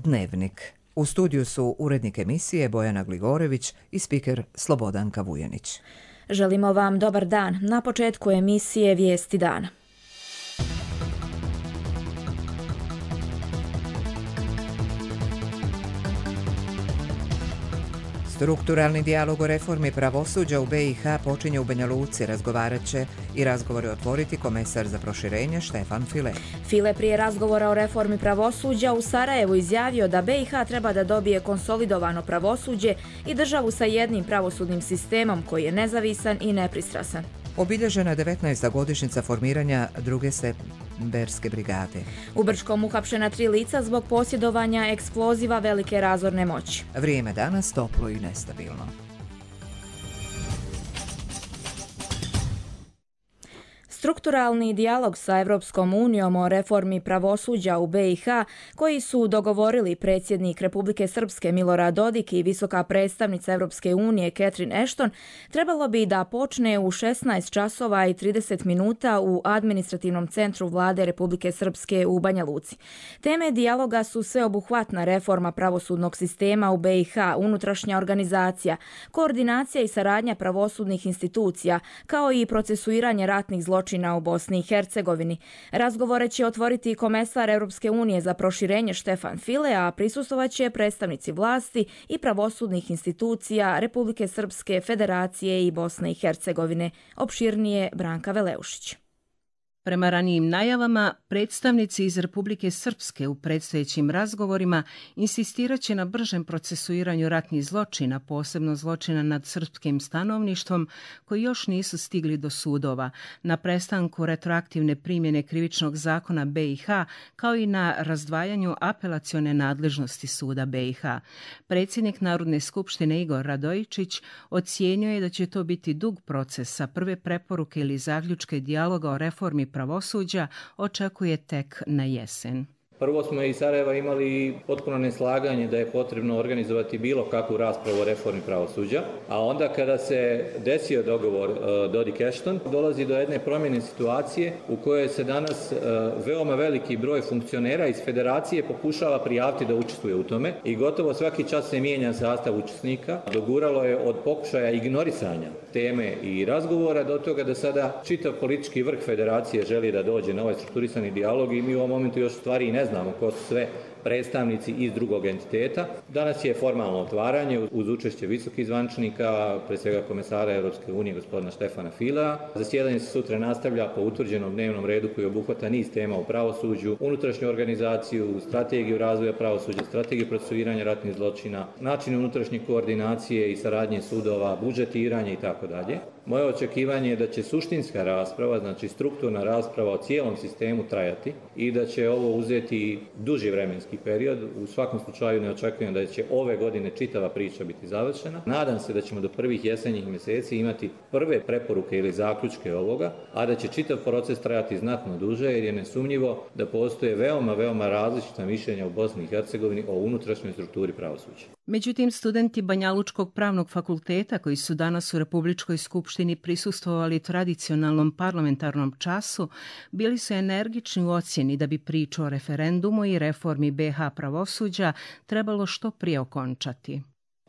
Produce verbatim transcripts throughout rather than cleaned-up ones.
Dnevnik. U studiju su urednik emisije Bojana Gligorević i spiker Slobodanka Vujanić. Želimo vam dobar dan. Na početku emisije Vijesti dana. Strukturalni dijalog o reformi pravosuđa u be i ha počinje u Banja Luci. Razgovarat će i razgovore otvoriti komesar za proširenje Štefan File. File prije razgovora o reformi pravosuđa u Sarajevu izjavio da be i ha treba da dobije konsolidovano pravosuđe i državu sa jednim pravosudnim sistemom koji je nezavisan i nepristrasan. Obilježena je devetnaesta godišnjica formiranja druge septemberske brigade. U Brčkom uhapšena tri lica zbog posjedovanja eksploziva velike razorne moći. Vrijeme danas toplo i nestabilno. Strukturalni dijalog sa Evropskom unijom o reformi pravosuđa u be i ha, koji su dogovorili predsjednik Republike Srpske Milorad Dodik i visoka predstavnica Evropske unije Catherine Ashton, trebalo bi da počne u šesnaest časova i trideset minuta u administrativnom centru vlade Republike Srpske u Banja Luci. Teme dijaloga su sveobuhvatna reforma pravosudnog sistema u be i ha, unutrašnja organizacija, koordinacija i saradnja pravosudnih institucija, kao i procesuiranje ratnih zločina u Bosni i Hercegovini. Razgovore će otvoriti komesar Europske unije za proširenje Štefan File, a prisustvovaće predstavnici vlasti i pravosudnih institucija Republike Srpske, Federacije i Bosne i Hercegovine. Opširnije Branka Veleušić. Prema ranijim najavama, predstavnici iz Republike Srpske u predstojećim razgovorima insistirat će na bržem procesuiranju ratnih zločina, posebno zločina nad srpskim stanovništvom, koji još nisu stigli do sudova, na prestanku retroaktivne primjene krivičnog zakona be i ha, kao i na razdvajanju apelacione nadležnosti suda be i ha. Predsjednik Narodne skupštine Igor Radojičić ocijenio je da će to biti dug proces, a prve preporuke ili zaključke dijaloga o reformi pravosuđa očekuje tek na jesen. Prvo smo iz Sarajeva imali potpuno neslaganje da je potrebno organizovati bilo kakvu raspravu o reformi pravosuđa, a onda kada se desio dogovor uh, Dodik-Ashton, dolazi do jedne promjene situacije u kojoj se danas uh, veoma veliki broj funkcionera iz federacije pokušava prijaviti da učestvuje u tome i gotovo svaki čas se mijenja sastav učesnika. Doguralo je od pokušaja ignorisanja teme i razgovora do toga da sada čitav politički vrh federacije želi da dođe na ovaj strukturisani dijalog i mi u ovom momentu još stvari i ne znamo ko su sve predstavnici iz drugog entiteta. Danas je formalno otvaranje uz učešće visokih zvaničnika, pre svega komesara Europske unije gospodina Štefana Filea. Zasjedanje se sutra nastavlja po utvrđenom dnevnom redu koji obuhvata niz tema u pravosuđu, unutrašnju organizaciju, strategiju razvoja pravosuđa, strategiju procesuiranja ratnih zločina, način unutrašnje koordinacije i saradnje sudova, budžetiranje i tako dalje. Moje očekivanje je da će suštinska rasprava, znači strukturna rasprava o cijelom sistemu trajati i da će ovo uzeti duži vremenski period. U svakom slučaju ne očekujem da će ove godine čitava priča biti završena. Nadam se da ćemo do prvih jesenjih mjeseci imati prve preporuke ili zaključke ovoga, a da će čitav proces trajati znatno duže jer je nesumnjivo da postoje veoma, veoma različita mišljenja u Bosni i Hercegovini o unutrašnjoj strukturi pravosuđa. Međutim, studenti Banjalučkog pravnog fakulteta koji su danas u Republičkoj skupštini prisustvovali tradicionalnom parlamentarnom času, bili su energični u ocjeni da bi priču o referendumu i reformi be ha pravosuđa trebalo što prije okončati.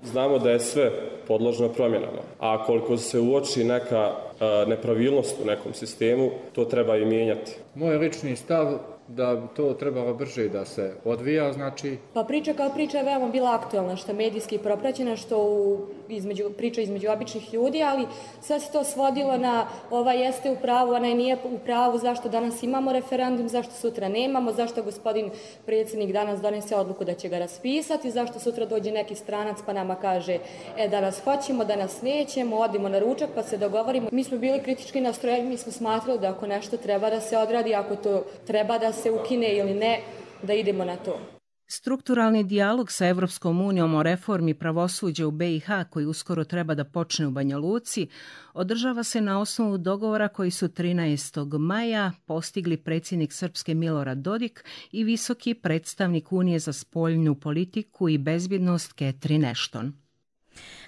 Znamo da je sve podložno promjenama, a koliko se uoči neka a, nepravilnost u nekom sistemu, to treba i mijenjati. Moj lični stav da to trebalo brže da se odvija, znači... Pa priča kao priča je veoma bila aktualna, što je medijski propraćena, što u, između, priča između običnih ljudi, ali sve se to svodilo na ova jeste u pravu, ona nije u pravu, zašto danas imamo referendum, zašto sutra nemamo, zašto gospodin predsjednik danas donese odluku da će ga raspisati, zašto sutra dođe neki stranac pa nama kaže e, danas hoćemo, danas nećemo, odimo na ručak pa se dogovorimo. Mi smo bili kritički nastrojeni, mi smo smatrali da ako nešto treba da se odradi, ako to treba da se ukine ili ne, da idemo na to. Strukturalni dijalog sa Evropskom unijom o reformi pravosuđa u be i ha, koji uskoro treba da počne u Banja Luci, održava se na osnovu dogovora koji su trinaestog maja postigli predsjednik Srpske Milorad Dodik i visoki predstavnik Unije za spoljnu politiku i bezbjednost Catherine Ashton.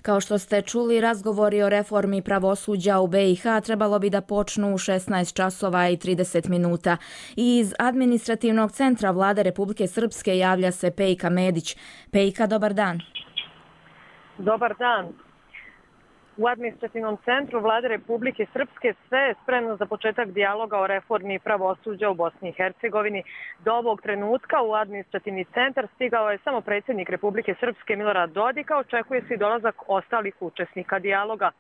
Kao što ste čuli, razgovori o reformi pravosuđa u B i H trebalo bi da počnu u šesnaest časova i trideset minuta. Iz administrativnog centra Vlade Republike Srpske javlja se Pejka Medić. Pejka, dobar dan. Dobar dan. U administrativnom centru Vlade Republike Srpske sve je spremno za početak dijaloga o reformi pravosuđa u Bosni i Hercegovini. Do ovog trenutka u administrativni centar stigao je samo predsjednik Republike Srpske Milorad Dodik, a očekuje se i dolazak ostalih učesnika dijaloga.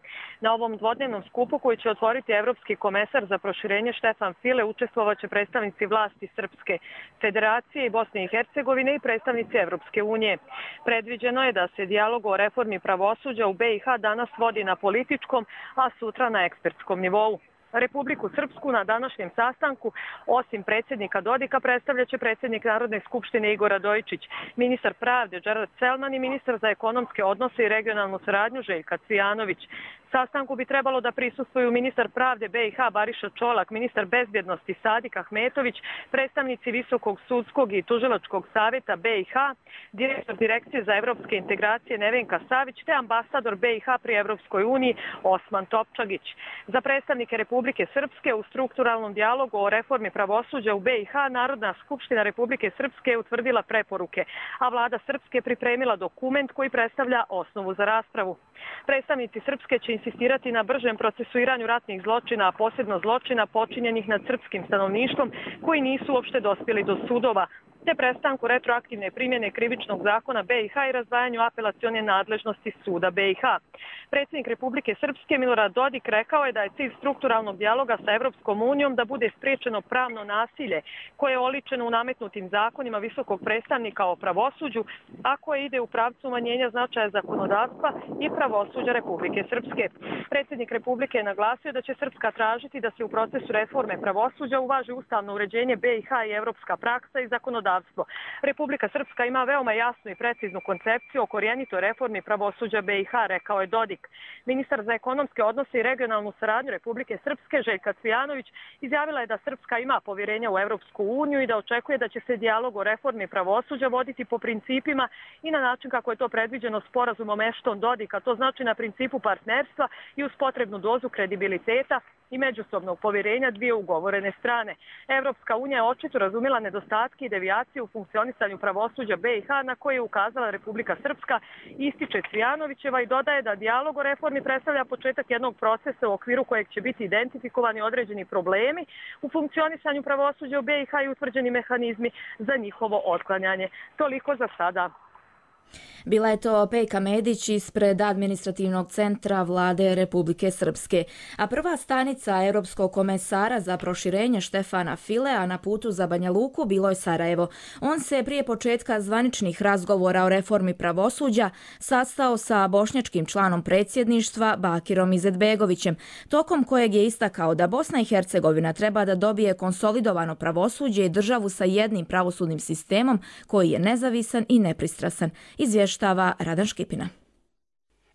Na ovom dvodnevnom skupu koji će otvoriti Evropski komesar za proširenje Štefan File učestvovaće predstavnici vlasti Srpske federacije i Bosne i Hercegovine i predstavnici Evropske unije. Predviđeno je da se dijalog o reformi pravosuđa u B i H danas vodi na političkom, a sutra na ekspertskom nivou. Republiku Srpsku na današnjem sastanku, osim predsjednika Dodika, predstavljaće predsjednik Narodne skupštine Igor Radojičić, ministar pravde Džerat Selman i ministar za ekonomske odnose i regionalnu saradnju Željka Cvijanović. Sastanku bi trebalo da prisustvuju ministar pravde B i H Bariša Čolak, ministar bezbjednosti Sadik Ahmetović, predstavnici Visokog sudskog i tužilačkog savjeta B i H, direktor Direkcije za evropske integracije Nevenka Savić te ambasador B i H pri Evropskoj uniji Osman Topčagić. Za predstavnike Republike Srpske u strukturalnom dijalogu o reformi pravosuđa u B i H Narodna skupština Republike Srpske je utvrdila preporuke, a vlada Srpske pripremila dokument koji predstavlja osnovu za raspravu. Predstavnici Srpske će insistirati na bržem procesuiranju ratnih zločina, a posebno zločina počinjenih nad srpskim stanovništvom koji nisu uopšte dospjeli do sudova, te prestanku retroaktivne primjene krivičnog zakona B i H i razdvajanju apelacione nadležnosti suda B i H. Predsjednik Republike Srpske Milorad Dodik rekao je da je cilj strukturalnog dijaloga sa Evropskom unijom da bude spriječeno pravno nasilje koje je oličeno u nametnutim zakonima visokog predstavnika o pravosuđu, a koje ide u pravcu umanjenja značaja zakonodavstva i pravosuđa Republike Srpske. Predsjednik Republike je naglasio da će Srpska tražiti da se u procesu reforme pravosuđa uvaži ustavno uređenje B i H i evropska praksa i zakonodavstvo. Republika Srpska ima veoma jasnu i preciznu koncepciju o korijenitoj reformi pravosuđa B i H, rekao je Dodik. Ministar za ekonomske odnose i regionalnu saradnju Republike Srpske Željka Cvijanović izjavila je da Srpska ima povjerenja u Evropsku uniju i da očekuje da će se dijalog o reformi pravosuđa voditi po principima i na način kako je to predviđeno sporazumom Ashton-Dodika, to znači na principu partnerstva i uz potrebnu dozu kredibiliteta i međusobnog povjerenja dvije ugovorene strane. Evropska unija je očito razumjela nedostatke i devijacije u funkcionisanju pravosuđa B i H na koje je ukazala Republika Srpska, ističe Cvijanovićeva i dodaje da dijalog o reformi predstavlja početak jednog procesa u okviru kojeg će biti identifikovani određeni problemi u funkcionisanju pravosuđa u B i H i utvrđeni mehanizmi za njihovo otklanjanje. Toliko za sada. Bila je to Pejka Medić ispred administrativnog centra Vlade Republike Srpske. A prva stanica Europskog komesara za proširenje Štefana Filea na putu za Banja Luku bilo je Sarajevo. On se prije početka zvaničnih razgovora o reformi pravosuđa sastao sa bošnjačkim članom predsjedništva Bakirom Izetbegovićem, tokom kojeg je istakao da Bosna i Hercegovina treba da dobije konsolidovano pravosuđe i državu sa jednim pravosudnim sistemom koji je nezavisan i nepristrasan. Izvještava Radan Škipina.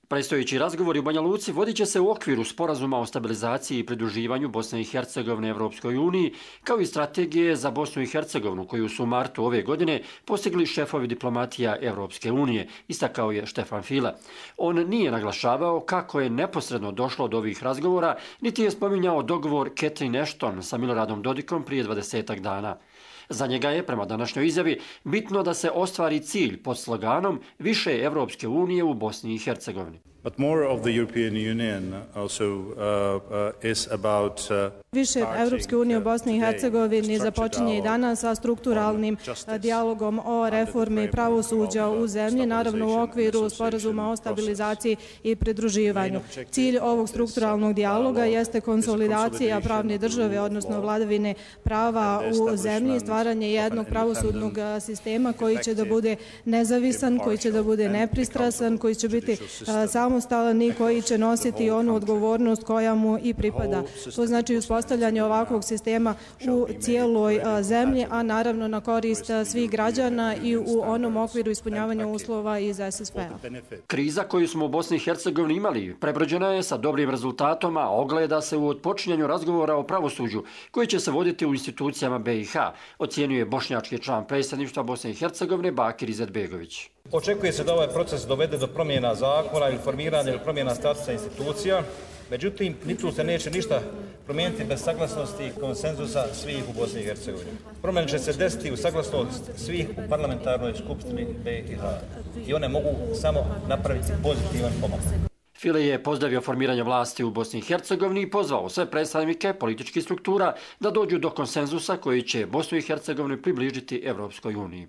Predstojeći razgovori u Banja Luci vodit će se u okviru sporazuma o stabilizaciji i pridruživanju Bosne i Hercegovine Evropskoj uniji, kao i strategije za Bosnu i Hercegovinu koju su u martu ove godine postigli šefovi diplomatija Evropske unije, istakao je Štefan File. On nije naglašavao kako je neposredno došlo do ovih razgovora, niti je spominjao dogovor Catherine Ashton sa Miloradom Dodikom prije dvadesetak dana. Za njega je, prema današnjoj izjavi, bitno da se ostvari cilj pod sloganom više Evropske unije u Bosni i Hercegovini. But more of the European Union also uh, uh, is about uh, Više Evropske unije u Bosni i Hercegovini započinje i danas sa strukturalnim dijalogom o reformi pravosuđa u zemlji, naravno u okviru sporazuma o stabilizaciji i pridruživanju. Cilj ovog strukturalnog dijaloga jeste konsolidacija pravne države, odnosno vladavine prava u zemlji, stvaranje jednog pravosudnog sistema koji će da bude nezavisan, koji će da bude nepristrasan, koji će biti samostalan i koji će nositi onu odgovornost koja mu i pripada. To znači uspostavljanje ovakvog sistema u cijeloj zemlji, a naravno na korist svih građana i u onom okviru ispunjavanja uslova iz S S P-a. Kriza koju smo u Bosni i Hercegovini imali prebrođena je sa dobrim rezultatom, a ogleda se u otpočinjanju razgovora o pravosuđu koji će se voditi u institucijama B i H, ocjenjuje bošnjački član predsjedništva Bosne i Hercegovine Bakir Izetbegović. Očekuje se da ovaj proces dovede do promjena zakona ili formiranja ili promjena statusa institucija, međutim, ni tu se neće ništa promijeniti bez saglasnosti i konsenzusa svih u Bosni i Hercegovini. Promjene će se desiti u saglasnost svih u parlamentarnoj skupštini B i H i one mogu samo napraviti pozitivan pomak. File je pozdravio formiranje vlasti u Bosni i Hercegovini i pozvao sve predstavnike političkih struktura da dođu do konsenzusa koji će Bosnu i Hercegovinu približiti Evropskoj uniji.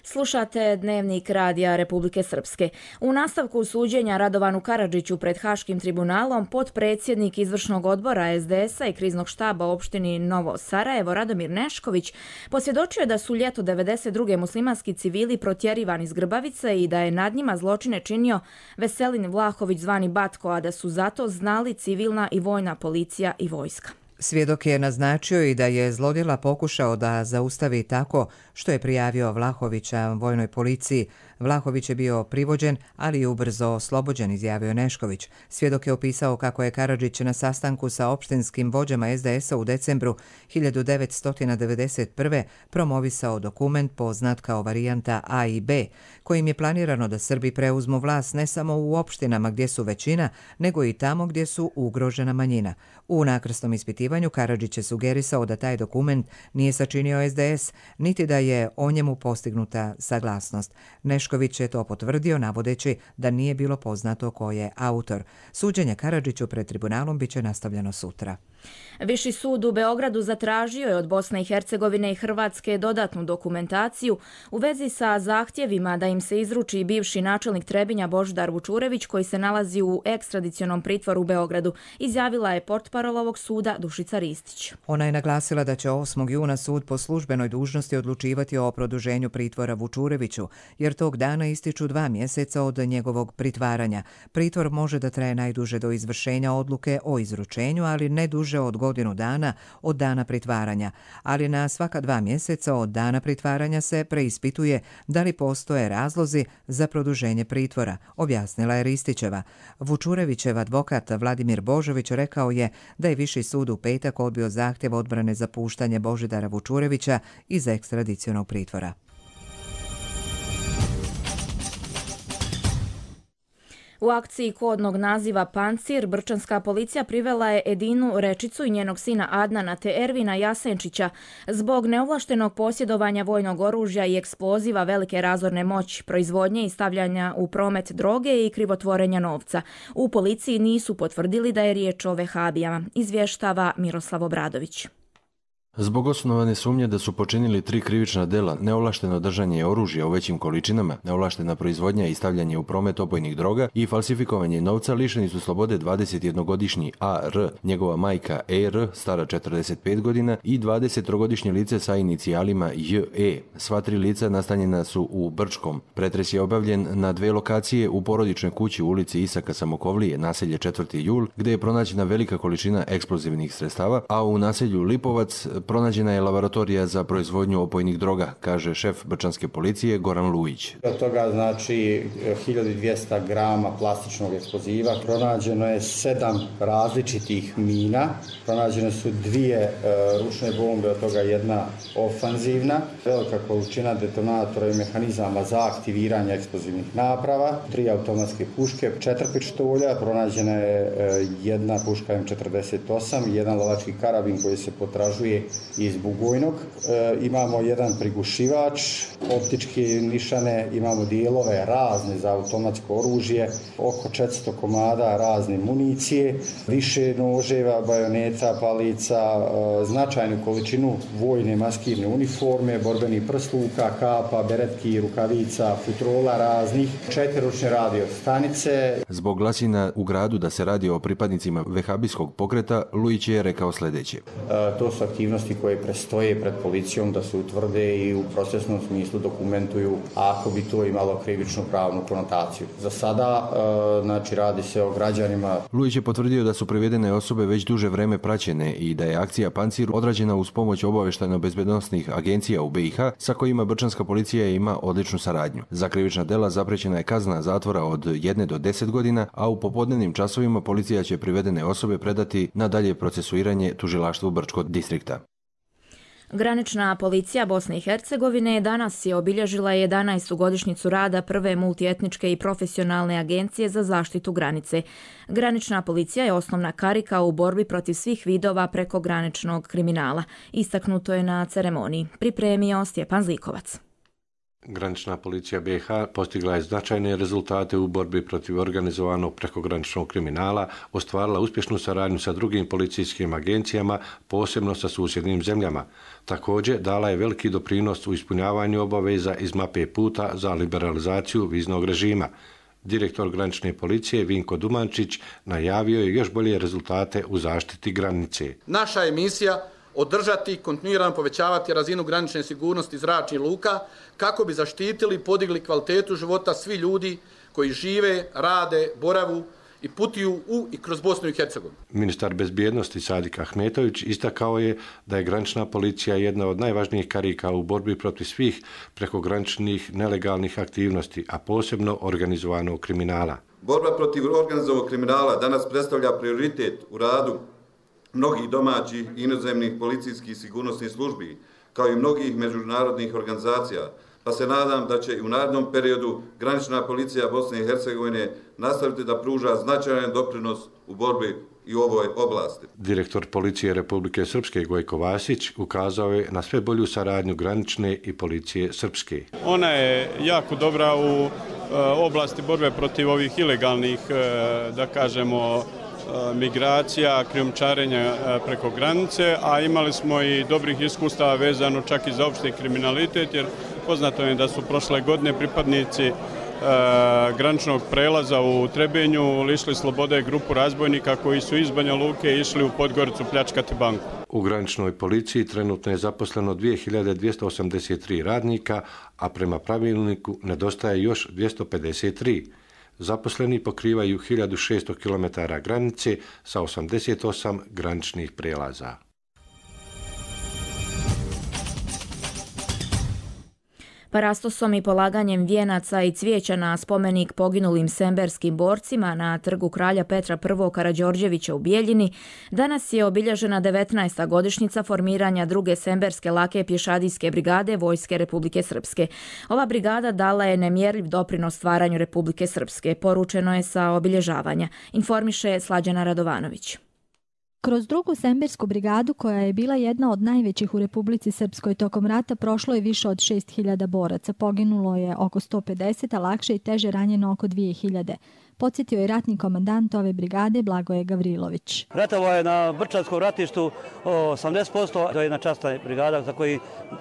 Slušate Dnevnik radija Republike Srpske. U nastavku suđenja Radovanu Karadžiću pred Haškim tribunalom, potpredsjednik izvršnog odbora S D S-a i kriznog štaba opštini Novo Sarajevo Radomir Nešković posvjedočio je da su ljeto devedeset druge muslimanski civili protjerivani iz Grbavice i da je nad njima zločine činio Veselin Vlahović zvani Batko, a da su zato znali civilna i vojna policija i vojska. Svjedok je naznačio i da je zlodjela pokušao da zaustavi tako što je prijavio Vlahovića vojnoj policiji. Vlahović je bio privođen, ali i ubrzo oslobođen, izjavio Nešković. Svjedok je opisao kako je Karadžić na sastanku sa opštinskim vođama S D S-a u decembru hiljadu devetsto devedeset prve promovisao dokument poznat kao varijanta A i B, kojim je planirano da Srbi preuzmu vlast ne samo u opštinama gdje su većina, nego i tamo gdje su ugrožena manjina. U nakrsnom ispitivanju Karadžić je sugerisao da taj dokument nije sačinio S D S, niti da je o njemu postignuta saglasnost. Nešković je to potvrdio navodeći da nije bilo poznato ko je autor. Suđenje Karadžiću pred tribunalom biće nastavljeno sutra. Viši sud u Beogradu zatražio je od Bosne i Hercegovine i Hrvatske dodatnu dokumentaciju u vezi sa zahtjevima da im se izruči bivši načelnik Trebinja Božidar Vučurević koji se nalazi u ekstradicionom pritvoru u Beogradu, izjavila je portparol ovog suda Dušica Ristić. Ona je naglasila da će osmog juna sud po službenoj dužnosti odlučivati o produženju pritvora Vučureviću, jer tog dana ističu dva mjeseca od njegovog pritvaranja. Pritvor može da traje najduže do izvršenja odluke o izručenju, ali ne duže od godinu dana od dana pritvaranja, ali na svaka dva mjeseca od dana pritvaranja se preispituje da li postoje razlozi za produženje pritvora, objasnila je Ristićeva. Vučurevićev advokat Vladimir Božović rekao je da je Viši sud u petak odbio zahtjev odbrane za puštanje Božidara Vučurevića iz ekstradicionog pritvora. U akciji kodnog naziva Pancir, brčanska policija privela je Edinu Rečicu i njenog sina Adnana te Ervina Jasenčića zbog neovlaštenog posjedovanja vojnog oružja i eksploziva velike razorne moći, proizvodnje i stavljanja u promet droge i krivotvorenja novca. U policiji nisu potvrdili da je riječ o vehabijama, izvještava Miroslav Obradović. Zbog osnovane sumnje da su počinili tri krivična dela, neovlašteno držanje oružja u većim količinama, neovlaštena proizvodnja i stavljanje u promet opojnih droga i falsifikovanje novca, lišeni su slobode dvadesetjednogodišnji A R, njegova majka E R, stara četrdeset pet godina, i dvadesettrogodišnje lice sa inicijalima J E. Sva tri lica nastanjena su u Brčkom. Pretres je obavljen na dve lokacije u porodičnoj kući u ulici Isaka Samokovlije, naselje četvrti jul, gdje je pronađena velika količina eksplozivnih sredstava, a u naselju Lipovac pronađena je laboratorija za proizvodnju opojnih droga, kaže šef brčanske policije Goran Lujić. Od toga znači hiljadu dvjesto grama plastičnog eksploziva, pronađeno je sedam različitih mina, pronađene su dvije e, ručne bombe, od toga jedna ofanzivna, velika količina detonatora i mehanizama za aktiviranje eksplozivnih naprava, tri automatske puške, četiri pištolja, pronađena je e, jedna puška M četrdeset osam, jedan lovački karabin koji se potražuje iz Bugojnog. E, imamo jedan prigušivač, optičke nišane, imamo dijelove razne za automatsko oružje, oko četiristo komada razne municije, više noževa, bajoneta, palica, e, značajnu količinu vojne maskirne uniforme, borbenih prsluka, kapa, beretki, rukavica, futrola raznih, četiriručne radio stanice. Zbog glasina u gradu da se radi o pripadnicima vehabijskog pokreta, Lujić je rekao sljedeće. E, to su aktivnosti koje prestoje pred policijom da se utvrde i u procesnom smislu dokumentuju ako bi to imalo krivičnu pravnu konotaciju. Za sada, e, znači, radi se o građanima. Lujić je potvrdio da su privedene osobe već duže vreme praćene i da je akcija Pancir odrađena uz pomoć obavještajno-bezbednosnih agencija u B i H sa kojima brčanska policija ima odličnu saradnju. Za krivična dela zaprećena je kazna zatvora od jedne do deset godina, a u popodnevnim časovima policija će privedene osobe predati na dalje procesuiranje tužilaštvu Brčkog distrikta. Granična policija Bosne i Hercegovine danas je obilježila jedanaestu godišnjicu rada prve multietničke i profesionalne agencije za zaštitu granice. Granična policija je osnovna karika u borbi protiv svih vidova prekograničnog kriminala. Istaknuto je na ceremoniji. Pripremio Stjepan Zlikovac. Granična policija B iH postigla je značajne rezultate u borbi protiv organizovanog prekograničnog kriminala, ostvarila uspješnu saradnju sa drugim policijskim agencijama, posebno sa susjednim zemljama. Također dala je veliki doprinos u ispunjavanju obaveza iz mape puta za liberalizaciju viznog režima. Direktor granične policije Vinko Dumančić najavio je još bolje rezultate u zaštiti granice. Naša je misija održati i kontinuirano povećavati razinu granične sigurnosti zračnih luka kako bi zaštitili i podigli kvalitetu života svih ljudi koji žive, rade, boravu i putuju u i kroz Bosnu i Hercegovinu. Ministar bezbjednosti Sadik Ahmetović istakao je da je granična policija jedna od najvažnijih karika u borbi protiv svih prekograničnih nelegalnih aktivnosti, a posebno organizovanog kriminala. Borba protiv organizovanog kriminala danas predstavlja prioritet u radu mnogih domaćih i inozemnih policijskih i sigurnosnih službi, kao i mnogih međunarodnih organizacija, pa se nadam da će i u narednom periodu granična policija Bosne i Hercegovine nastaviti da pruža značajan doprinos u borbi i u ovoj oblasti. Direktor policije Republike Srpske Gojko Vasić ukazao je na sve bolju saradnju granične i policije Srpske. Ona je jako dobra u oblasti borbe protiv ovih ilegalnih, da kažemo, migracija, krijumčarenja preko granice, a imali smo i dobrih iskustava vezano čak i za opšti kriminalitet, jer poznato je da su prošle godine pripadnici graničnog prelaza u Trebinju lišili slobode grupu razbojnika koji su iz Banja Luke išli u Podgoricu pljačkati banku. U graničnoj policiji trenutno je zaposleno dvije hiljade dvjesto osamdeset tri radnika, a prema pravilniku nedostaje još dvjesto pedeset tri. Zaposleni pokrivaju hiljadu šesto kilometara granice sa osamdeset osam graničnih prelaza. Parastosom i polaganjem vijenaca i cvijeća na spomenik poginulim semberskim borcima na trgu kralja Petra I. Karađorđevića u Bijeljini danas je obilježena devetnaesta godišnjica formiranja druge semberske lake pješadijske brigade Vojske Republike Srpske. Ova brigada dala je nemjerljiv doprinos stvaranju Republike Srpske, poručeno je sa obilježavanja, informiše Slađana Radovanović. Kroz drugu sembersku brigadu, koja je bila jedna od najvećih u Republici Srpskoj tokom rata, prošlo je više od šest hiljada boraca. Poginulo je oko sto pedeset, a lakše i teže ranjeno oko dvije hiljade. Podsjetio je ratni komandant ove brigade Blagoje Gavrilović. Ratovo je na Brčanskom ratištu osamdeset posto. To je jedna časna brigada za koji,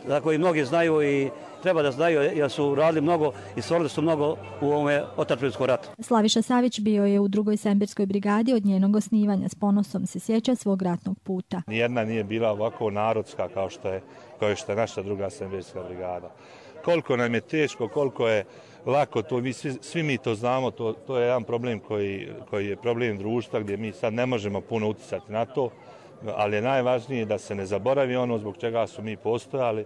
za koji mnogi znaju i treba da znaju, jer su radili mnogo i stvorili su mnogo u ovome otadžbinskom ratu. Slaviša Savić bio je u drugoj semberskoj brigadi od njenog osnivanja. S ponosom se sjeća svog ratnog puta. Nijedna nije bila ovako narodska kao što je, kao što je naša druga semberska brigada. Koliko nam je teško, koliko je lako, to mi, svi, svi mi to znamo, to, to je jedan problem koji, koji je problem društva gdje mi sad ne možemo puno uticati na to, ali je najvažnije da se ne zaboravi ono zbog čega su mi postojali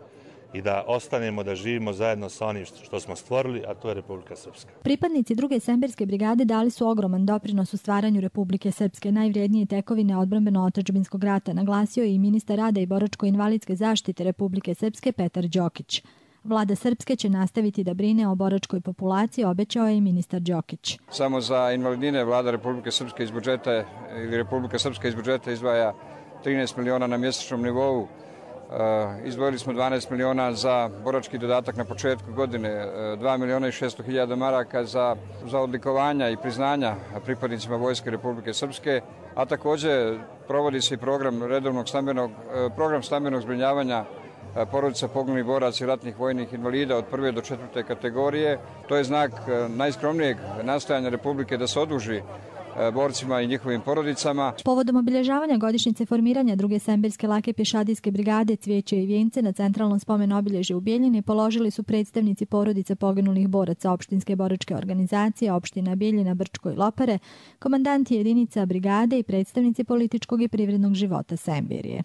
i da ostanemo da živimo zajedno sa onim što smo stvorili, a to je Republika Srpska. Pripadnici druge semberske brigade dali su ogroman doprinos u stvaranju Republike Srpske, najvrijednije tekovine odbrambeno-otadžbinskog rata, naglasio je i ministar rada i boračko-invalidske zaštite Republike Srpske Petar Đokić. Vlada Srpske će nastaviti da brine o boračkoj populaciji, obećao je i ministar Đokić. Samo za invalidine Vlada Republike Srpske iz budžeta ili Republika Srpska iz budžeta izdvaja trinaest miliona na mjesečnom nivou. Izdvojili smo dvanaest miliona za borački dodatak na početku godine, dva miliona i šesto hiljada maraka za, za odlikovanja i priznanja pripadnicima Vojske Republike Srpske, a također provodi se i program redovnog stambenog, program stambenog zbrinjavanja porodica poginulih boraca i ratnih vojnih invalida od prve do četvrte kategorije. To je znak najskromnijeg nastojanja Republike da se oduži borcima i njihovim porodicama. Povodom obilježavanja godišnjice formiranja druge semberske lake pješadijske brigade cvijeće i vijence na centralnom spomen obilježju u Bijeljini položili su predstavnici porodice poginulih boraca opštinske boračke organizacije opština Bijeljina, Brčko i Lopare, komandanti jedinica brigade i predstavnici političkog i privrednog života Semberije.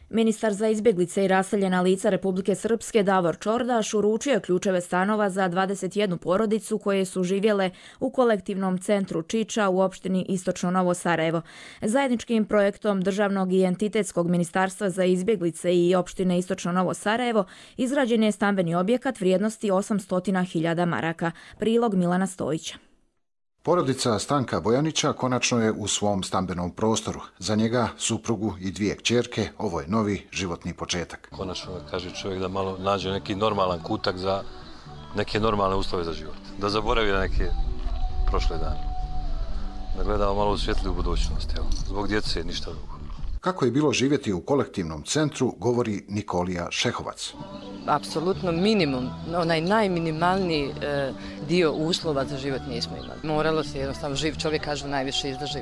Ministar za izbjeglice i raseljena lica Republike Srpske Davor Čordaš uručio je ključeve stanova za dvadeset jednu porodicu koje su živjele u kolektivnom centru Čiča u opštini Istočno Novo Sarajevo. Zajedničkim projektom Državnog i entitetskog ministarstva za izbjeglice i opštine Istočno Novo Sarajevo izgrađen je stambeni objekat vrijednosti osamsto hiljada maraka. Prilog Milana Stojića. Porodica Stanka Bojanića konačno je u svom stambenom prostoru. Za njega, suprugu i dvije kćerke, ovo je novi životni početak. Konačno kaže čovjek da malo nađe neki normalan kutak za neke normalne uslove za život. Da zaboravi na neke prošle dane. Da gledamo malo u svjetliju budućnost. Evo. Zbog djece ništa drugo. Kako je bilo živjeti u kolektivnom centru, govori Nikolija Šehovac. Apsolutno minimum, onaj najminimalniji e, dio uslova za život nismo imali. Moralo se jednostavno, živ čovjek kažu najviše izdrži.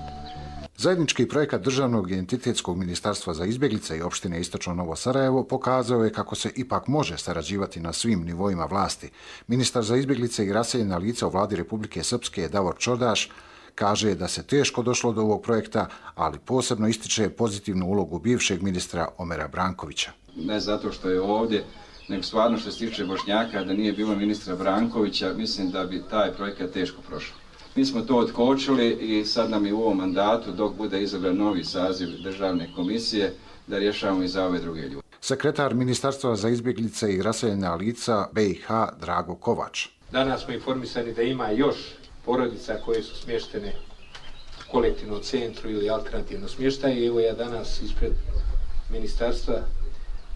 Zajednički projekat Državnog i entitetskog ministarstva za izbjeglice i opštine Istočno Novo Sarajevo pokazao je kako se ipak može sarađivati na svim nivoima vlasti. Ministar za izbjeglice i raseljena lica u vladi Republike Srpske Davor Čordaš kaže da se teško došlo do ovog projekta, ali posebno ističe pozitivnu ulogu bivšeg ministra Omera Brankovića. Ne zato što je ovdje, nego stvarno što se tiče Bošnjaka, da nije bilo ministra Brankovića, mislim da bi taj projekat teško prošao. Mi smo to otkočili i sad nam je u ovom mandatu, dok bude izabran novi saziv državne komisije, da rješavamo i za ove druge ljude. Sekretar Ministarstva za izbjeglice i raseljena lica B i H Drago Kovač. Danas smo informisani da ima još porodica koje su smještene u kolektivnom centru ili alternativno smještaje. I evo ja danas ispred ministarstva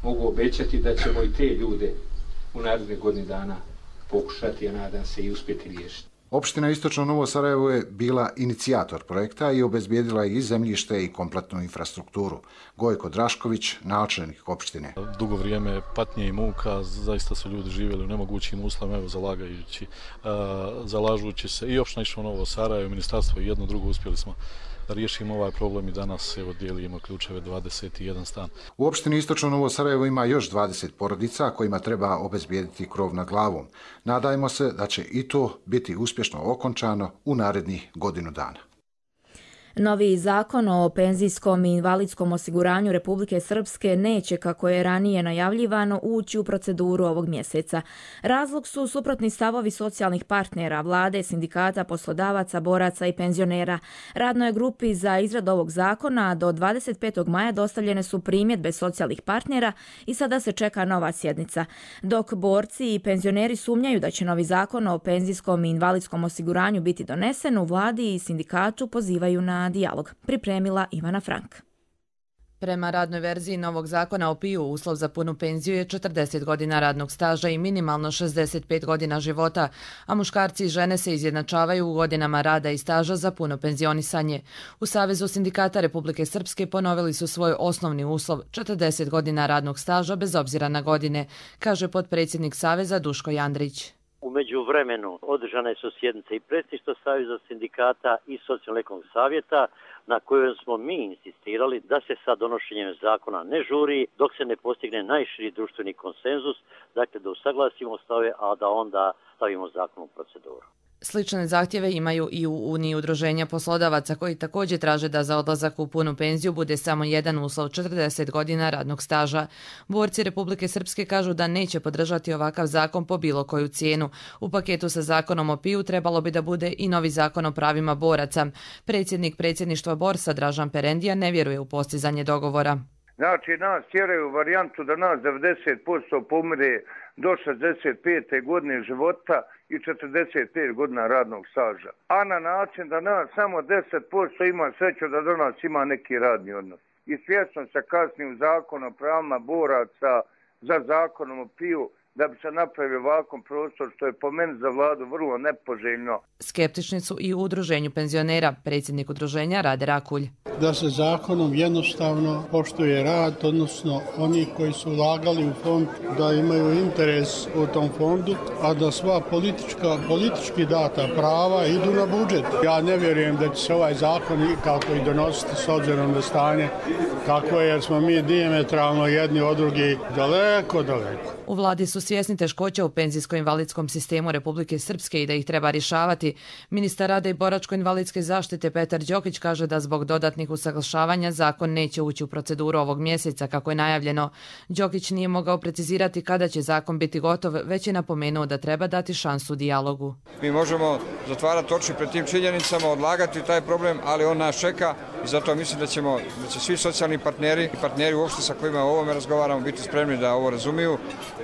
mogu obećati da ćemo i te ljude u narednih godini dana pokušati, a nadam se, i uspjeti riješiti. Opština Istočno Novo Sarajevo je bila inicijator projekta i obezbijedila je i zemljište i kompletnu infrastrukturu. Gojko Drašković, načelnik opštine. Dugo vrijeme patnje i muka, zaista su ljudi živjeli u nemogućim uslovima, evo zalagajući, zalažući se i opština Istočno Novo Sarajevo, ministarstvo i jedno drugo uspjeli smo da riješimo ovaj problem i danas evo dijelimo ključeve dvadeset jedan stan. U opštini Istočno Novo Sarajevo ima još dvadeset porodica kojima treba obezbijediti krov nad glavom. Nadajmo se da će i to biti uspješno okončano u narednih godinu dana. Novi zakon o penzijskom i invalidskom osiguranju Republike Srpske neće, kako je ranije najavljivano, ući u proceduru ovog mjeseca. Razlog su suprotni stavovi socijalnih partnera, vlade, sindikata, poslodavaca, boraca i penzionera. Radnoj grupi za izradu ovog zakona do dvadeset petog maja dostavljene su primjedbe socijalnih partnera i sada se čeka nova sjednica. Dok borci i penzioneri sumnjaju da će novi zakon o penzijskom i invalidskom osiguranju biti donesen, u vladi i sindikatu pozivaju na dijalog. Pripremila Ivana Frank. Prema radnoj verziji novog zakona o P I U, uslov za punu penziju je četrdeset godina radnog staža i minimalno šezdeset pet godina života, a muškarci i žene se izjednačavaju u godinama rada i staža za puno penzionisanje. U Savezu sindikata Republike Srpske ponovili su svoj osnovni uslov četrdeset godina radnog staža bez obzira na godine, kaže potpredsjednik Saveza Duško Jandrić. U međuvremenu održane su sjednice i predsjedništva Saveza sindikata i Socijalno-ekonomskog savjeta, na kojoj smo mi insistirali da se sa donošenjem zakona ne žuri dok se ne postigne najširi društveni konsenzus, dakle da usaglasimo stave, a da onda stavimo zakon u proceduru. Slične zahtjeve imaju i u Uniji udruženja poslodavaca, koji također traže da za odlazak u punu penziju bude samo jedan uslov četrdeset godina radnog staža. Borci Republike Srpske kažu da neće podržati ovakav zakon po bilo koju cijenu. U paketu sa zakonom o P I U trebalo bi da bude i novi zakon o pravima boraca. Predsjednik predsjedništva Borsa Dražan Perendija ne vjeruje u postizanje dogovora. Znači, nas tjeraju varijantu da nas devedeset posto pomire do šezdeset pete godine života i četrdeset pet godina radnog staža. A na način da nas samo deset posto ima sreću da do nas ima neki radni odnos. I svjesno se kasni u zakon o pravima boraca za zakonom o P I U da bi se napravio ovakav prostor, što je po meni za vladu vrlo nepoželjno. Skeptični su i u udruženju penzionera, predsjednik udruženja Rade Rakulj. Da se zakonom jednostavno poštuje rad, odnosno oni koji su ulagali u fond da imaju interes u tom fondu, a da sva politička, politički data prava idu na budžet. Ja ne vjerujem da će se ovaj zakon kako i donositi s obzirom na stanje kako je, jer smo mi dijametralno jedni od drugih daleko, daleko. U vladi su svjesni teškoća u penzijsko-invalidskom sistemu Republike Srpske i da ih treba rješavati. Ministar rada i boračko-invalidske zaštite Petar Đokić kaže da zbog dodatnih usaglašavanja zakon neće ući u proceduru ovog mjeseca kako je najavljeno. Đokić nije mogao precizirati kada će zakon biti gotov, već je napomenuo da treba dati šansu dijalogu. Mi možemo zatvarati oči pred tim činjenicama, odlagati taj problem, ali on nas čeka i zato mislim da ćemo, da će svi socijalni partneri i partneri uopšte sa kojima o ovome razgovaramo biti spremni da ovo razumiju,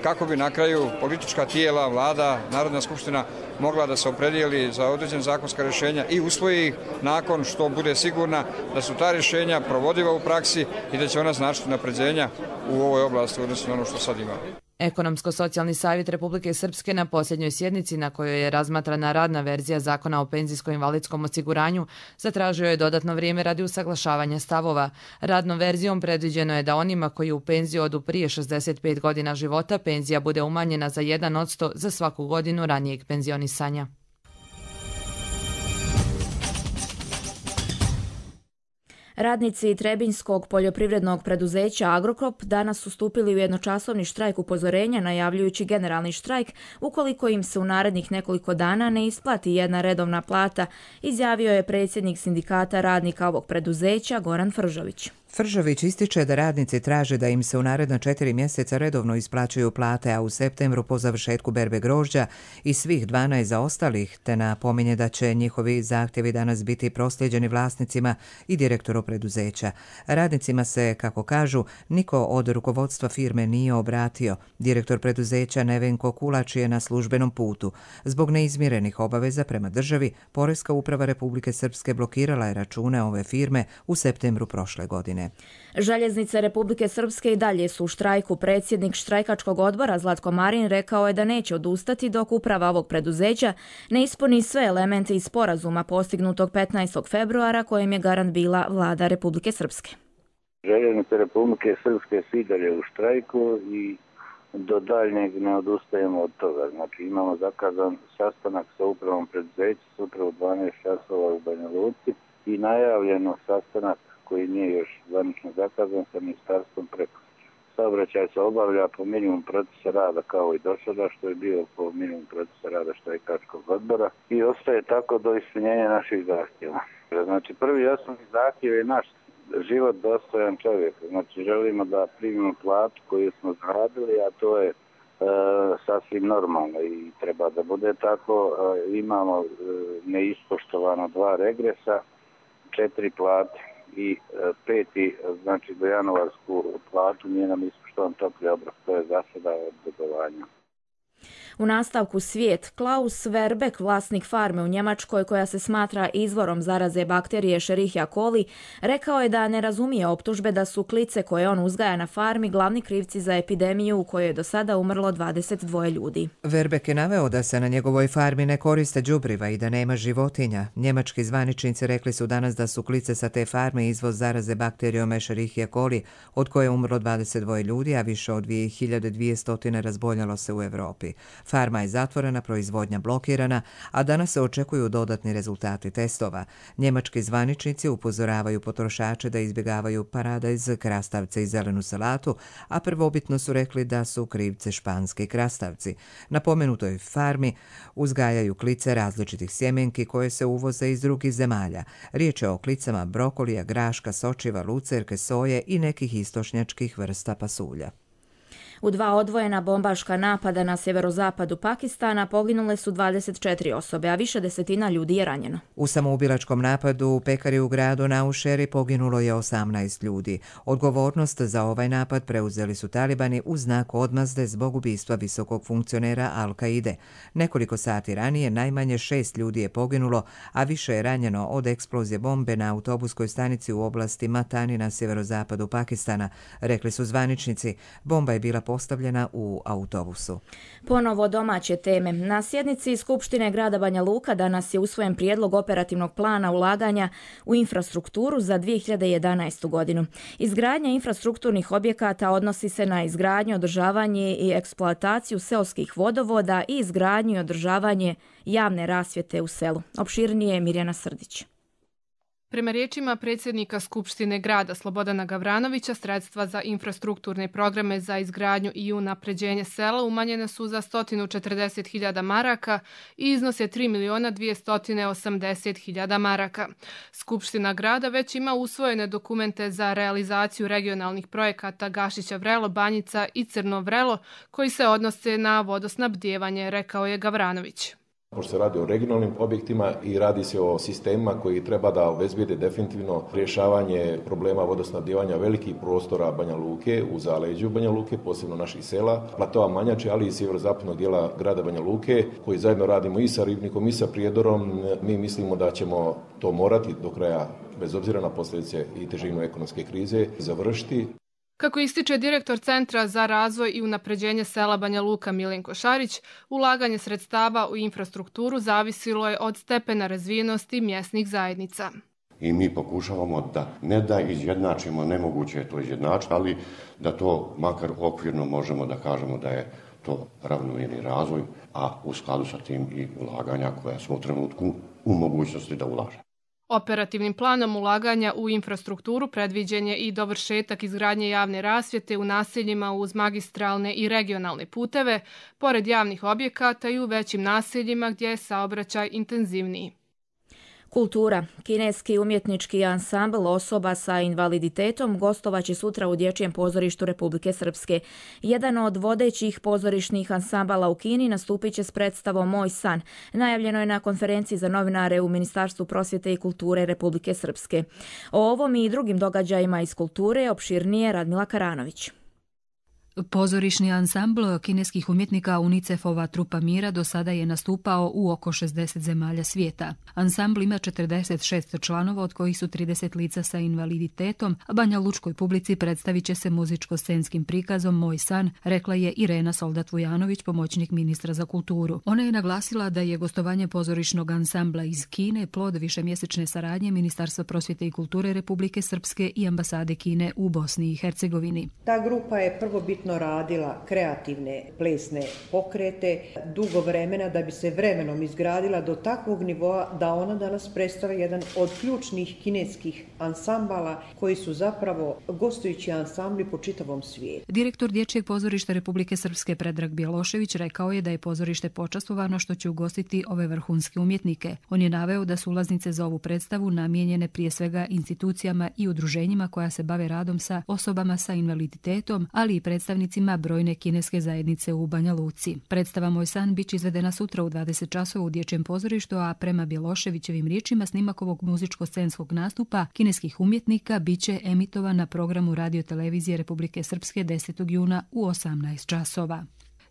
kako bi na kraju politička tijela, vlada, Narodna skupština mogla da se opredijeli za određene zakonska rješenja i usvoji ih nakon što bude sigurna da su ta rješenja provodiva u praksi i da će ona značiti napređenja u ovoj oblasti odnosno na ono što sad imamo. Ekonomsko-socijalni savjet Republike Srpske na posljednjoj sjednici na kojoj je razmatrana radna verzija zakona o penzijsko-invalidskom osiguranju zatražio je dodatno vrijeme radi usaglašavanja stavova. Radnom verzijom predviđeno je da onima koji u penziju odu prije šezdeset pet godina života penzija bude umanjena za jedan posto za svaku godinu ranijeg penzionisanja. Radnici Trebinjskog poljoprivrednog preduzeća Agrokrop danas su stupili u jednočasovni štrajk upozorenja najavljujući generalni štrajk ukoliko im se u narednih nekoliko dana ne isplati jedna redovna plata, izjavio je predsjednik sindikata radnika ovog preduzeća Goran Fržović. Fržović ističe da radnici traže da im se u naredna četiri mjeseca redovno isplaćuju plate, a u septembru po završetku berbe grožđa i svih dvanaest zaostalih, te napominje da će njihovi zahtjevi danas biti proslijeđeni vlasnicima i direktoru preduzeća. Radnicima se, kako kažu, niko od rukovodstva firme nije obratio. Direktor preduzeća Nevenko Kulač je na službenom putu. Zbog neizmirenih obaveza prema državi, Poreska uprava Republike Srpske blokirala je račune ove firme u septembru prošle godine. Željeznice Republike Srpske i dalje su u štrajku. Predsjednik štrajkačkog odbora Zlatko Marin rekao je da neće odustati dok uprava ovog preduzeća ne ispuni sve elemente iz sporazuma postignutog petnaestog februara kojem je garant bila vlada Republike Srpske. Željeznice Republike Srpske su i dalje u štrajku i do daljnjeg ne odustajemo od toga. Znači imamo zakazan sastanak sa upravom preduzeća sutra u dvanaest časova u Banja Luci i najavljeno sastanak koji nije još zvanično zakazan sa ministarstvom prekusutra. Saobraćaj se obavlja po minimum procesa rada kao i do sada, što je bio po minimum procesa rada štrajkačkog odbora i ostaje tako do ispunjenja naših zahtjeva. Znači prvi osnovni zahtjev je naš život dostojan čovjek. Znači želimo da primimo platu koju smo zaradili, a to je e, sasvim normalno i treba da bude tako. E, imamo e, neispoštovano dva regresa, četiri plate i peti, znači do januarsku platu nije nam ispoštovan topli obrok, to je za sada od dugovanja. U nastavku svijet, Klaus Verbeck, vlasnik farme u Njemačkoj koja se smatra izvorom zaraze bakterije Escherichia coli, rekao je da ne razumije optužbe da su klice koje on uzgaja na farmi glavni krivci za epidemiju u kojoj je do sada umrlo dvadeset dva ljudi. Verbeck je naveo da se na njegovoj farmi ne koriste đubriva i da nema životinja. Njemački zvaničnici rekli su danas da su klice sa te farme izvoz zaraze bakterijom Escherichia coli, od koje je umrlo dvadeset dva ljudi, a više od dvije hiljade dvjesto razboljelo se u Evropi. Farma je zatvorena, proizvodnja blokirana, a danas se očekuju dodatni rezultati testova. Njemački zvaničnici upozoravaju potrošače da izbjegavaju paradajz, krastavce i zelenu salatu, a prvobitno su rekli da su krivce španski krastavci. Na pomenutoj farmi uzgajaju klice različitih sjemenki koje se uvoze iz drugih zemalja. Riječ je o klicama brokolija, graška, sočiva, lucerke, soje i nekih istočnjačkih vrsta pasulja. U dva odvojena bombaška napada na sjeverozapadu Pakistana poginule su dvadeset četiri osobe, a više desetina ljudi je ranjeno. U samoubilačkom napadu u pekari u gradu Naušeri poginulo je osamnaest ljudi. Odgovornost za ovaj napad preuzeli su talibani u znak odmazde zbog ubistva visokog funkcionera Al-Kaide. Nekoliko sati ranije najmanje šest ljudi je poginulo, a više je ranjeno od eksplozije bombe na autobuskoj stanici u oblasti Matani na sjeverozapadu Pakistana, rekli su zvaničnici. Bomba je bila postavljena u autobusu. Ponovo domaće teme. Na sjednici Skupštine grada Banja Luka danas je usvojen prijedlog operativnog plana ulaganja u infrastrukturu za dvije hiljade jedanaestu godinu. Izgradnja infrastrukturnih objekata odnosi se na izgradnju, održavanje i eksploataciju seoskih vodovoda i izgradnju i održavanje javne rasvjete u selu. Opširnije je Mirjana Srdić. Prema riječima predsjednika Skupštine grada Slobodana Gavranovića, sredstva za infrastrukturne programe za izgradnju i unapređenje sela umanjene su za sto četrdeset hiljada maraka i iznose tri miliona dvjesto osamdeset hiljada maraka. Skupština grada već ima usvojene dokumente za realizaciju regionalnih projekata Gašića Vrelo, Banjica i Crno Vrelo koji se odnose na vodosnabdijevanje, rekao je Gavranović. Pošto se radi o regionalnim objektima i radi se o sistemima koji treba da obezbijede definitivno rješavanje problema vodosnabdijevanja velikih prostora Banja Luke, u zaleđu Banja Luke, posebno naših sela, platova Manjače, ali i sjeverozapadnog dijela grada Banja Luke, koji zajedno radimo i sa Ribnikom i sa Prijedorom. Mi mislimo da ćemo to morati do kraja, bez obzira na posljedice i težinu ekonomske krize, završiti. Kako ističe direktor Centra za razvoj i unapređenje sela Banja Luka Milenko Šarić, ulaganje sredstava u infrastrukturu zavisilo je od stepena razvijenosti mjesnih zajednica. I mi pokušavamo da ne da izjednačimo, nemoguće je to izjednačiti, ali da to makar okvirno možemo da kažemo da je to ravnomjerni razvoj, a u skladu sa tim i ulaganja koja smo u trenutku u mogućnosti da ulažemo. Operativnim planom ulaganja u infrastrukturu predviđen je i dovršetak izgradnje javne rasvjete u naseljima uz magistralne i regionalne puteve, pored javnih objekata i u većim naseljima gdje je saobraćaj intenzivniji. Kultura. Kineski umjetnički ansambl osoba sa invaliditetom gostovaće sutra u Dječjem pozorištu Republike Srpske. Jedan od vodećih pozorišnih ansambala u Kini nastupit će s predstavom Moj san. Najavljeno je na konferenciji za novinare u Ministarstvu prosvjete i kulture Republike Srpske. O ovom i drugim događajima iz kulture opširnije Radmila Karanović. Pozorišni ansambl kineskih umjetnika UNICEF-ova Trupa mira do sada je nastupao u oko šezdeset zemalja svijeta. Ansambl ima četrdeset šest članova, od kojih su trideset lica sa invaliditetom, a Banja Lučkoj publici predstavit će se muzičko-scenskim prikazom Moj san, rekla je Irena Soldat-Vujanović, pomoćnik ministra za kulturu. Ona je naglasila da je gostovanje pozorišnog ansambla iz Kine plod višemjesečne saradnje Ministarstva prosvjete i kulture Republike Srpske i ambasade Kine u Bosni i Hercegovini. Ta grupa je prvobitno radila kreativne plesne pokrete dugo vremena da bi se vremenom izgradila do takvog nivoa da ona danas predstavlja jedan od ključnih kineskih ansambala koji su zapravo gostujući ansambli po čitavom svijetu. Direktor Dječjeg pozorišta Republike Srpske Predrag Bjelošević rekao je da je pozorište počastvovano što će ugostiti ove vrhunske umjetnike. On je naveo da su ulaznice za ovu predstavu namijenjene prije svega institucijama i udruženjima koja se bave radom sa osobama sa invaliditetom, ali i predstavnicima brojne kineske zajednice u Banja Luci. Predstava Moj san biće izvedena sutra u dvadeset časova u Dječjem pozorištu, a prema Bjeloševićevim riječima snimak ovog muzičko-scenskog nastupa kineskih umjetnika biće emitovan na programu radiotelevizije Republike Srpske desetog juna u osamnaest časova.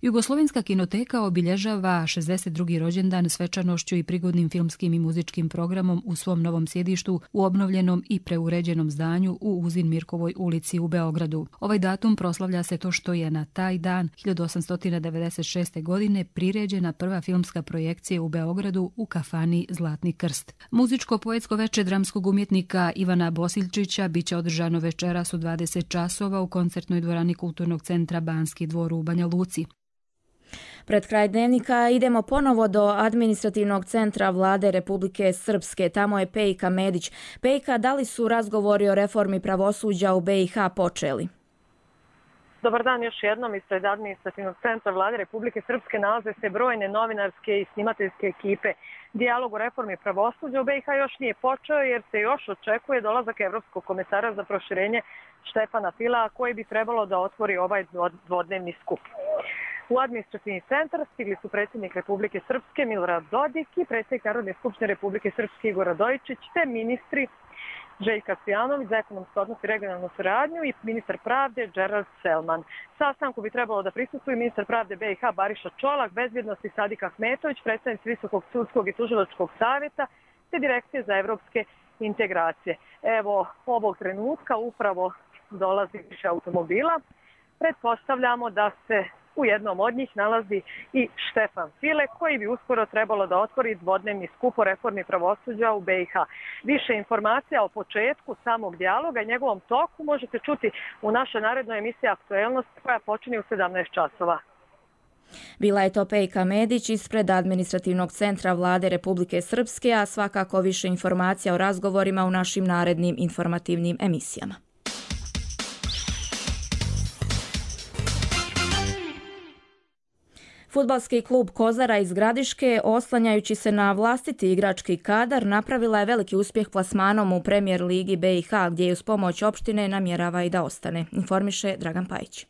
Jugoslovenska kinoteka obilježava šezdeset drugi rođendan svečanošću i prigodnim filmskim i muzičkim programom u svom novom sjedištu u obnovljenom i preuređenom zdanju u Uzin Mirkovoj ulici u Beogradu. Ovaj datum proslavlja se to što je na taj dan hiljadu osamsto devedeset šeste. godine priređena prva filmska projekcija u Beogradu u kafani Zlatni krst. Muzičko-poetsko veče dramskog umjetnika Ivana Bosiljčića biće održano večeras u dvadeset časova u koncertnoj dvorani Kulturnog centra Banski dvor u Banja Luci. Pred kraj dnevnika idemo ponovo do administrativnog centra vlade Republike Srpske. Tamo je Pejka Medić. Pejka, da li su razgovori o reformi pravosuđa u B i H počeli? Dobar dan još jednom. Ispred administrativnog centra vlade Republike Srpske nalaze se brojne novinarske i snimateljske ekipe. Dijalog o reformi pravosuđa u B i H još nije počeo jer se još očekuje dolazak Evropskog komesara za proširenje Štefana Fila, koji bi trebalo da otvori ovaj dvodnevni skup. U administrativni centar stigli su predsjednik Republike Srpske Milorad Dodik i predsjednik Narodne skupštine Republike Srpske Igor Radojičić, te ministri Željka Cvijanović za ekonomsko odnos i regionalnu saradnju i ministar pravde Gerald Selman. Sastanku bi trebalo da prisustvuju ministar pravde B i H Bariša Čolak, bezbjednosti Sadik Ahmetović, predstavnici Visokog sudskog i tužilačkog savjeta te Direkcije za evropske integracije. Evo, ovog trenutka upravo dolazi više automobila. Pretpostavljamo da se u jednom od njih nalazi i Štefan File, koji bi uskoro trebalo da otvori dvodnevni skup o reformi pravosuđa u B i H. Više informacija o početku samog dijaloga i njegovom toku možete čuti u našoj narednoj emisiji Aktuelnost koja počinje u sedamnaest časova. Bila je to Pejka Medić ispred administrativnog centra Vlade Republike Srpske, a svakako više informacija o razgovorima u našim narednim informativnim emisijama. Fudbalski klub Kozara iz Gradiške, oslanjajući se na vlastiti igrački kadar, napravila je veliki uspjeh plasmanom u Premijer ligi B i H, gdje je uz pomoć opštine namjerava i da ostane, informiše Dragan Pajić.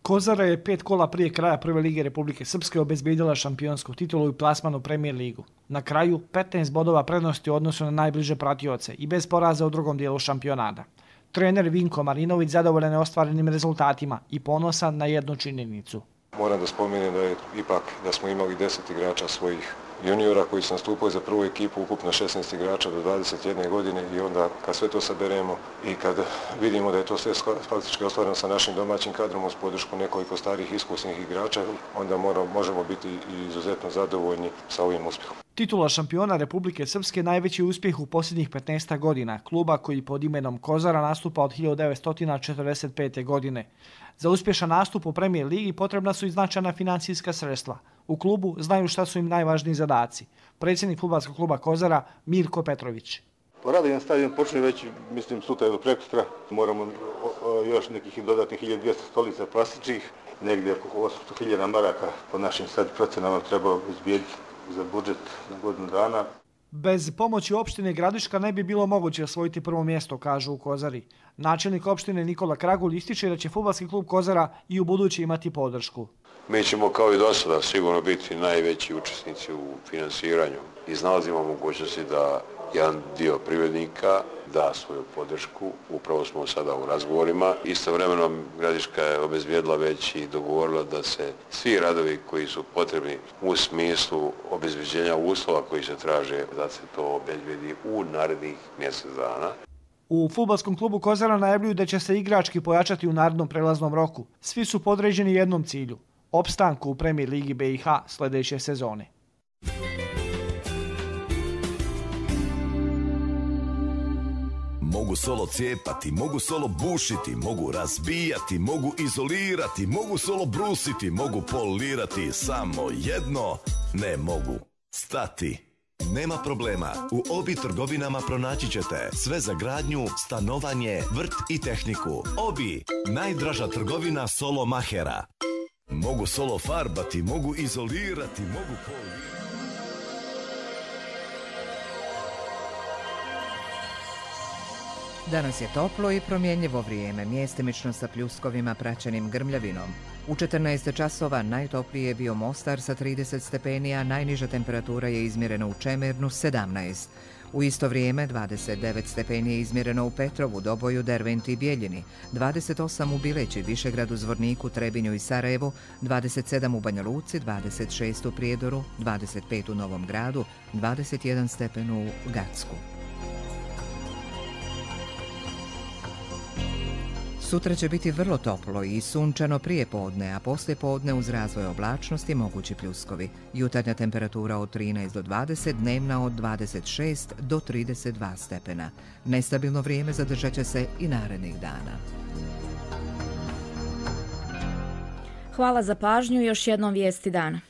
Kozara je pet kola prije kraja Prve lige Republike Srpske obezbijedila šampionsku titulu i plasman u Premijer ligu. Na kraju petnaest bodova prednosti u odnosu na najbliže pratioce i bez poraza u drugom dijelu šampionata. Trener Vinko Marinović zadovoljan je ostvarenim rezultatima i ponosan na jednu činjenicu. Moram da spomenem da je ipak da smo imali deset igrača svojih juniora koji su nastupali za prvu ekipu, ukupno šesnaest igrača do dvadeset jedne godine i onda kad sve to saberemo i kad vidimo da je to sve faktički ostvareno sa našim domaćim kadrom uz podršku nekoliko starih iskusnih igrača, onda moramo, možemo biti izuzetno zadovoljni sa ovim uspjehom. Titula šampiona Republike Srpske najveći uspjeh u posljednjih petnaest godina, kluba koji pod imenom Kozara nastupa od hiljadu devetsto četrdeset pete. godine. Za uspješan nastup u Premijer ligi potrebna su i značajna financijska sredstva. U klubu znaju šta su im najvažniji zadaci. Predsjednik fudbalskog kluba Kozara Mirko Petrović. Radovan na stadion počne već, mislim, sutra do prekosutra. Moramo o, o, još nekih dodatnih hiljadu dvjesto stolica plastičnih, negdje oko osamsto hiljada maraka po našim sad procenama treba izbijediti za budžet na godinu dana. Bez pomoći opštine Gradiška ne bi bilo moguće osvojiti prvo mjesto, kažu u Kozari. Načelnik opštine Nikola Kragulj ističe da će fudbalski klub Kozara i u buduće imati podršku. Mi ćemo kao i do sada sigurno biti najveći učesnici u finansiranju. Iznalazimo mogućnosti da jedan dio privrednika da svoju podršku. Upravo smo sada u razgovorima. Istovremeno Gradiška je obezbijedila već i dogovorila da se svi radovi koji su potrebni u smislu obezbeđenja uslova koji se traže da se to obezbedi u narednih mjesec dana. U fudbalskom klubu Kozara najavljuju da će se igrački pojačati u narednom prelaznom roku. Svi su podređeni jednom cilju – opstanku u Premijer ligi B i H sljedeće sezone. Mogu solo cijepati, mogu solo bušiti, mogu razbijati, mogu izolirati, mogu solo brusiti, mogu polirati, samo jedno ne mogu stati. Nema problema, u Obi trgovinama pronaći ćete sve za gradnju, stanovanje, vrt i tehniku. Obi, najdraža trgovina solo mahera. Mogu solo farbati, mogu izolirati, mogu polirati. Danas je toplo i promjenjivo vrijeme, mjestimično sa pljuskovima praćenim grmljavinom. U četrnaest časova najtoplije je bio Mostar sa trideset stepeni, a najniža temperatura je izmjerena u Čemernu sedamnaest. U isto vrijeme dvadeset devet stepeni je izmjereno u Petrovu, Doboju, Derventi i Bijeljini, dvadeset osam u Bileći, Višegradu, Zvorniku, Trebinju i Sarajevu, dvadeset sedam u Banja Luci, dvadeset šest u Prijedoru, dvadeset pet u Novom Gradu, dvadeset jedan stepen u Gacku. Sutra će biti vrlo toplo i sunčano prije podne, a poslije podne uz razvoj oblačnosti mogući pljuskovi. Jutarnja temperatura od trinaest do dvadeset, dnevna od dvadeset šest do trideset dva stepena. Nestabilno vrijeme zadržat će se i narednih dana. Hvala za pažnju i još jednom vijesti dana.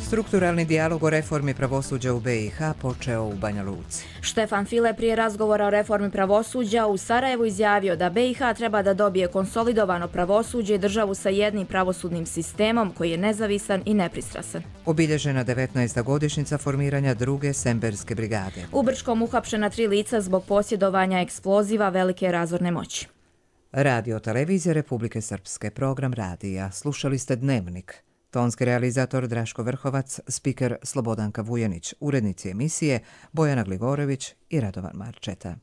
Strukturalni dijalog o reformi pravosuđa u B i H počeo u Banja Luci. Štefan File prije razgovora o reformi pravosuđa u Sarajevu izjavio da B i H treba da dobije konsolidovano pravosuđe i državu sa jednim pravosudnim sistemom koji je nezavisan i nepristrasan. Obilježena devetnaesta godišnjica formiranja druge Semberske brigade. U Brčkom uhapšena tri lica zbog posjedovanja eksploziva velike razorne moći. Radio televizija Republike Srpske, program radija. Slušali ste Dnevnik. Tonski realizator Draško Vrhovac, spiker Slobodanka Vujanić, urednici emisije Bojana Gligorović i Radovan Marčeta.